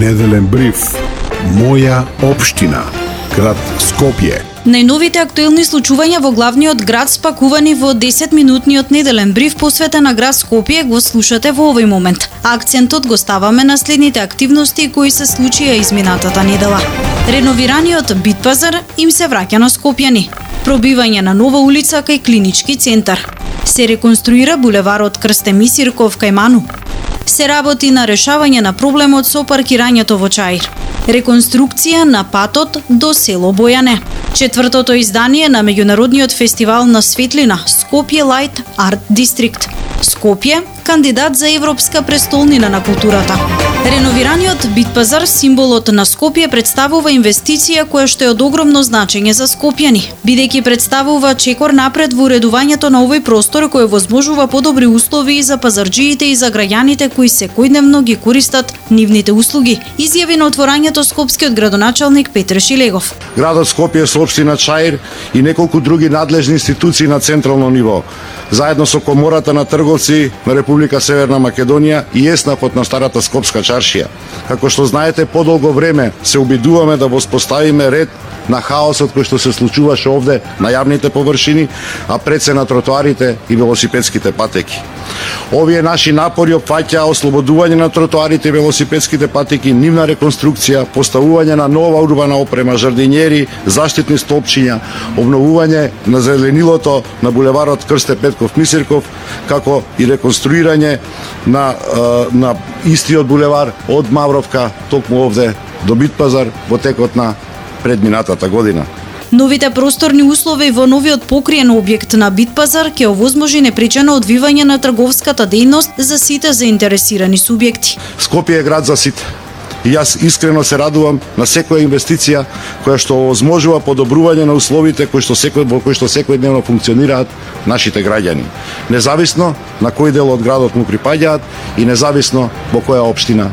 Неделен бриф. Моја општина. Град Скопје. Најновите актуелни случувања во главниот град спакувани во 10-минутниот неделен бриф посветен на град Скопје го слушате во овој момент. Акцентот го ставаме на следните активности кои се случија изминатата недела. Реновираниот Битпазар им се враќа на скопјани. Пробивање на нова улица кај клинички центар. Се реконструира булеварот Крсте Мисирков кај Ману. Се работи на решавање на проблемот со паркирањето во Чаир. Реконструкција на патот до село Бојане. Четвртото издание на меѓународниот фестивал на светлина Скопје Лајт Арт Дистрикт. Скопје, кандидат за европска престолнина на културата. Реновираниот Битпазар, символот на Скопје, представува инвестиција која што е од огромно значење за скопјани, бидејќи представува чекор напред во уредувањето на овој простор кој возможува подобри услови за пазарџиите и за граѓаните кои секојдневно ги користат нивните услуги, изјави на отворањето скопскиот градоначалник Петр Шилегов. Градот Скопје со општина Чаир и неколку други надлежни институции на централно ниво, заедно со Комората на трговци на Република Северна Македонија и ЕСНАФот на старата скопска чаршија. Како што знаете, подолго време се обидуваме да воспоставиме ред на хаосот кој што се случуваше овде на јавните површини, а пред се на тротоарите и велосипедските патеки. Овие наши напори опфаќаа ослободување на тротоарите и велосипедските патеки, нивна реконструкција, поставување на нова урбана опрема, жардинјери, заштитни столпчиња, обновување на зеленилото на булеварот Крсте Петков Мисирков, како и реконструирање на истиот булевар од Мавровка токму овде до Битпазар во текот на предминатата година. Новите просторни услови во новиот покриен објект на Битпазар ќе овозможи непречено одвивање на трговската дејност за сите заинтересирани субјекти. Скопје е град за сите. И јас искрено се радувам на секоја инвестиција која што овозможува подобрување на условите кои што секојдневно функционираат нашите граѓани, независно на кој дел од градот му припаѓаат и независно во која општина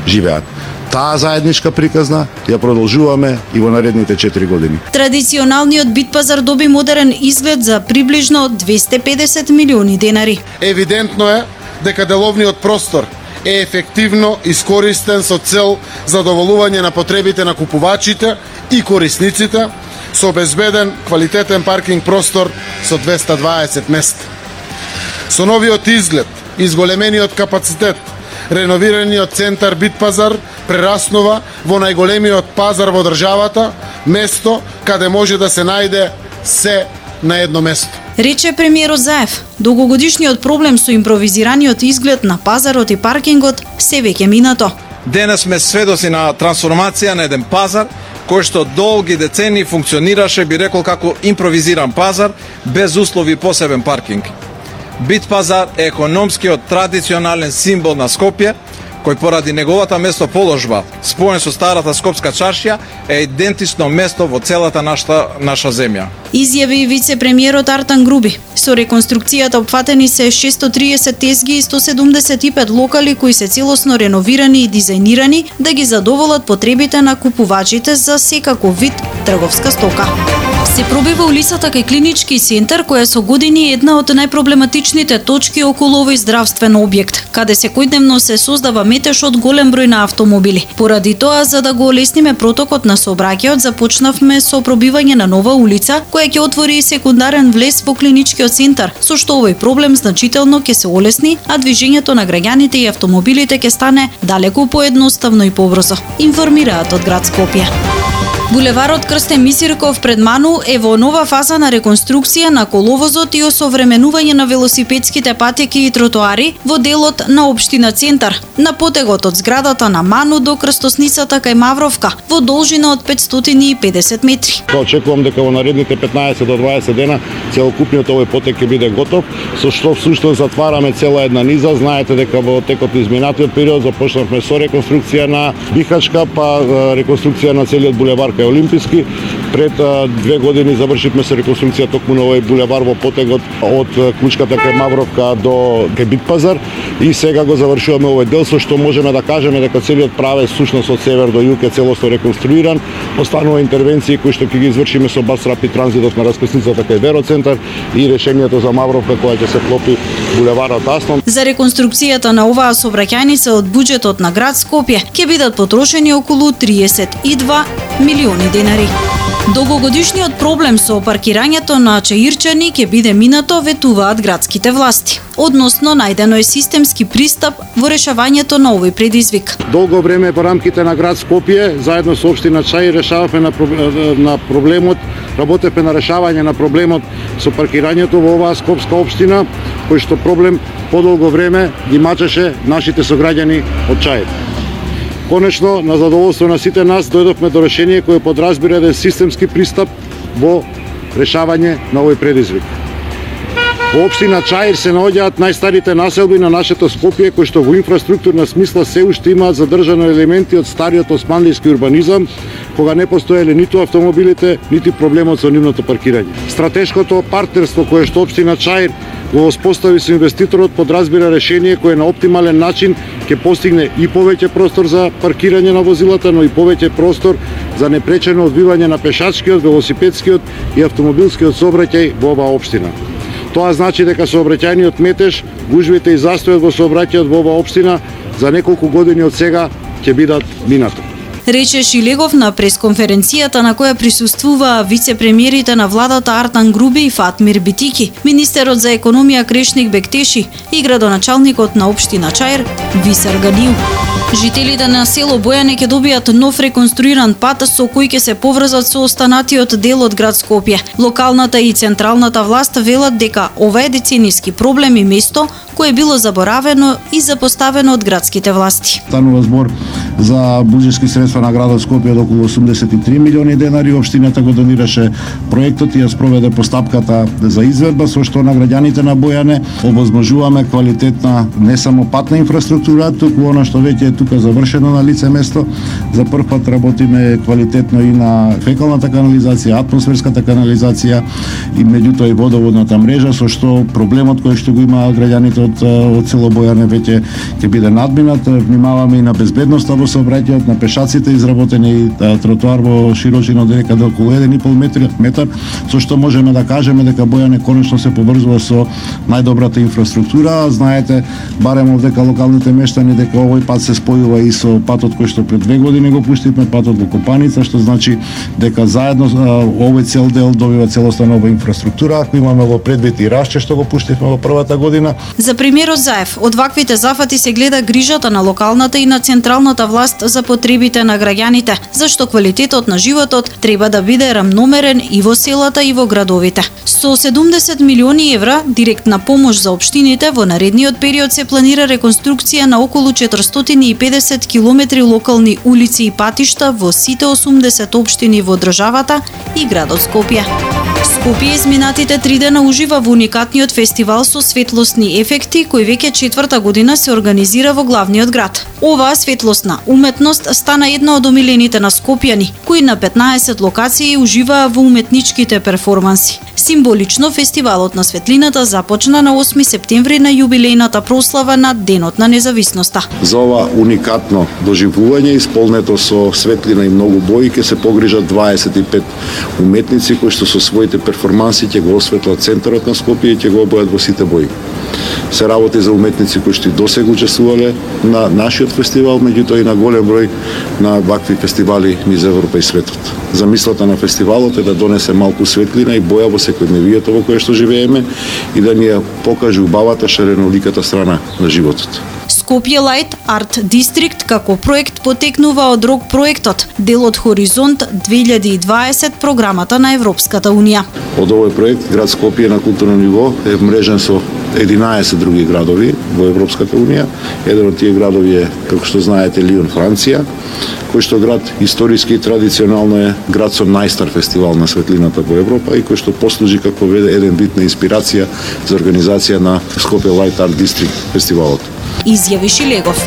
живеат. Таа заедничка приказна ја продолжуваме и во наредните 4 години. Традиционалниот Битпазар доби модерен изглед за приближно 250 милиони денари. Евидентно е дека деловниот простор е ефективно искористен со цел задоволување на потребите на купувачите и корисниците, со обезбеден квалитетен паркинг простор со 220 места. Со новиот изглед, изголемениот капацитет, реновираниот центар Битпазар прераснува во најголемиот пазар во државата, место каде може да се најде се на едно место. Рече премиерот Заев, долгогодишниот проблем со импровизираниот изглед на пазарот и паркингот се веќе минато. Денес сме сведоци на трансформација на еден пазар кој што долги децени функционираше, би рекол, како импровизиран пазар без услови посебен паркинг. Битпазар е економскиот традиционален символ на Скопје, кој поради неговата местоположба, споен со старата скопска чаршија, е идентично место во целата наша земја. Изјави вице-премиерот Артан Груби. Со реконструкцијата опфатени се 630 тезги и 175 локали кои се целосно реновирани и дизајнирани да ги задоволат потребите на купувачите за секаков вид трговска стока. Се пробива улицата кај клинички центар, која со години е една од најпроблематичните точки околу овој здравствен објект, каде секојдневно се создава метеж од голем број на автомобили. Поради тоа, за да го олесниме протокот на сообраќајот, започнавме со пробивање на нова улица, која ќе отвори секундарен влез во клиничкиот центар, со што овој проблем значително ќе се олесни, а движењето на граѓаните и автомобилите ќе стане далеку поедноставно и побрзо, информираат од град Скопје. Булеварот Крсте Мисирков пред Ману е во нова фаза на реконструкција на коловозот и осовременување на велосипедските патеки и тротоари во делот на општина Центар, на потегот од зградата на Ману до крстосницата кај Мавровка, во должина од 550 метри. Очекувам дека во наредните 15 до 20 дена целокупниот овој потек ќе биде готов, со што всушто затвараме цела една низа. Знаете дека во текот на изминатиот период започнавме со реконструкција на Бихачка, па реконструкција на целиот булевар дека е олимписки. Пред 2 години завршивме се реконструкција токму на овој булевар во потегот од Клучката кај Мавровка до кај Бит пазар и сега го завршуваме овој дел, со што можеме да кажеме дека целиот правец сушност од север до југ е целосно реконструиран. Останува интервенции кои што ќе ги извршиме со Бас Рапид транзитот на раскрсницата кај Вероцентар и решението за Мавровка која ќе се клопи булеварот Аснон. За реконструкцијата на оваа сообраќајница од буџетот на град Скопје ќе бидат потрошени околу 32 милиони денари. Долгогодишниот проблем со паркирањето на Чаирчани ќе биде минато, ветуваат градските власти. Односно, најдено е системски пристап во решавањето на овој предизвик. Долго време во рамките на град Скопје, заедно со општина Чаир, решававме на проблемот, работевме на решавање на проблемот со паркирањето во оваа скопска општина, кој што проблем подолго време ги мачеше нашите сограѓани од Чаир. Конечно, на задоволство на сите нас, дојдовме до решение кое подразбира еден системски пристап во решавање на овој предизвик. Во општина Чаир се наоѓаат најстарите населби на нашето Скопје, кои што во инфраструктурна смисла се уште имаат задржано елементи од стариот османлиски урбанизам, кога не постоеле ниту автомобилите, нити проблемот со нивното паркирање. Стратешкото партнерство кое што општина Чаир го воспостави со инвеститорот подразбира решение кое на оптимален начин ќе постигне и повеќе простор за паркирање на возилата, но и повеќе простор за непречено одвивање на пешачкиот, велосипедскиот и автомобилскиот сообраќај во оваа општина. Тоа значи дека сообраќајниот метеж, гужвите и застојот во сообраќајот во оваа општина за неколку години од сега ќе бидат минато. Рече Шилегов на пресконференцијата на која присуствуваа вице-премиерите на владата Артан Груби и Фатмир Битики, министерот за економија Крешник Бектеши и градоначалникот на општина Чаир Висар Ганиу. Жителите на село Бојане ќе добијат нов реконструиран пат со кој ќе се поврзат со останатиот дел од град Скопје. Локалната и централната власт велат дека ова е децениски проблем и место кое било заборавено и запоставено од градските власти. Станува збор за буџетски средства на градот Скопје од околу 83 милиони денари. Општината го донираше проектот и ја спроведе постапката за изведба, со што на граѓаните на Бојане овозможуваме квалитетна не само патна инфраструктура, туку она што веќе е тука завршено на лице место. За прв пат работиме квалитетно и на фекалната канализација, атмосферската канализација и меѓутоа и водоводната мрежа, со што проблемот кој што го има граѓаните од село Бојане веќе ќе биде надминат. Внимаваме и на безбедноста во сообраќајот, на пешаците, изработени и тротоар во широчина од некаде околу 1,5 метар, со што можеме да кажеме дека Бојане конечно се поврзува со најдобрата инфраструктура. Знаете, барем овдека локалните мештани дека овој пат се спојува и со патот кој што пред 2 години го пуштивме, патот во Копаница, што значи дека заедно овој цел дел добива целосна нова инфраструктура. Ако имаме во предвид и Рашче што го пуштивме во првата година. За премиерот Заев, од ваквите зафати се гледа грижата на локалната и на централната власт за потребите на граѓаните, зашто квалитетот на животот треба да биде рамномерен и во селата и во градовите. Со 70 милиони евра директна помош за општините во наредниот период се планира реконструкција на околу 450 километри локални улици и патишта во сите 80 општини во државата и градот Скопје. Скопје изминатите 3 дена ужива во уникатниот фестивал со светлосни ефекти, кој веќе 4-та година се организира во главниот град. Оваа светлосна уметност стана една од омилените на скопјани, кои на 15 локации уживаа во уметничките перформанси. Символично, фестивалот на светлината започна на 8 септември на јубилејната прослава на Денот на независноста. За ова уникатно доживување, исполнето со светлина и многу бои, ќе се погрижат 25 уметници кои што со своите перформанси ќе го осветлат центарот на Скопје и ќе го обојат во сите бои. Се работи за уметници кои што и досега учествувале на нашиот фестивал, меѓутоа и на голем број на вакви фестивали низ Европа и светот. Замислата на фестивалот е да донесе малку светлина и боја во секојдневието во кое што живееме и да ни ја покаже убавата шареноликата страна на животот. Скопје Лајт Арт Дистрикт како проект потекнува од РОК проектот, дел од Хоризонт 2020 програмата на Европската Унија. Од овој проект град Скопје на културно ниво е мрежен со 11 други градови во Европската Унија. Еден од тие градови е, како што знаете, Лион, Франција, кој што град историски и традиционално е град со најстар фестивал на светлината во Европа и кој што послужи како еден вид на инспирација за организација на Скопје Лајт Арт Дистрикт фестивалот. Изјави Шилегов.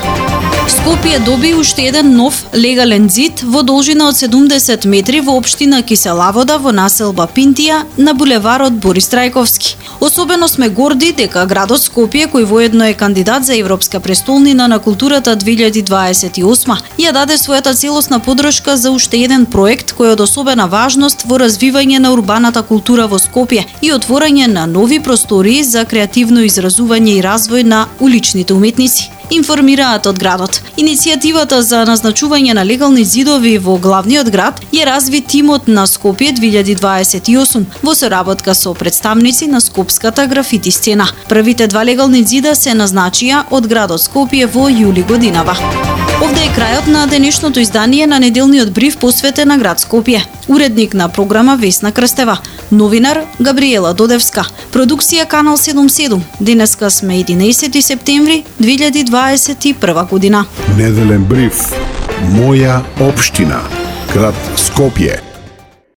Скопје доби уште еден нов легален зид во должина од 70 метри во општина Киселавода во населба Пинтија на булеварот Борис Трајковски. Особено сме горди дека градот Скопје, кој воедно е кандидат за Европска престолнина на културата 2028, ја даде својата целосна подршка за уште еден проект кој е од особена важност во развивање на урбаната култура во Скопје и отворање на нови простории за креативно изразување и развој на уличните уметници. Информираат од градот. Иницијативата за назначување на легални зидови во главниот град ја разви тимот на Скопје 2028 во соработка со представници на скопската графити сцена. Првите 2 легални зида се назначија од градот Скопје во јули годинава. Овде е крајот на денешното издание на неделниот бриф посветен на град Скопје. Уредник на програма Весна Крстева, новинар Габриела Додевска, продукција Канал 77. Денеска сме 11 септември 2021 година. Неделен бриф. Моја општина. Град Скопје.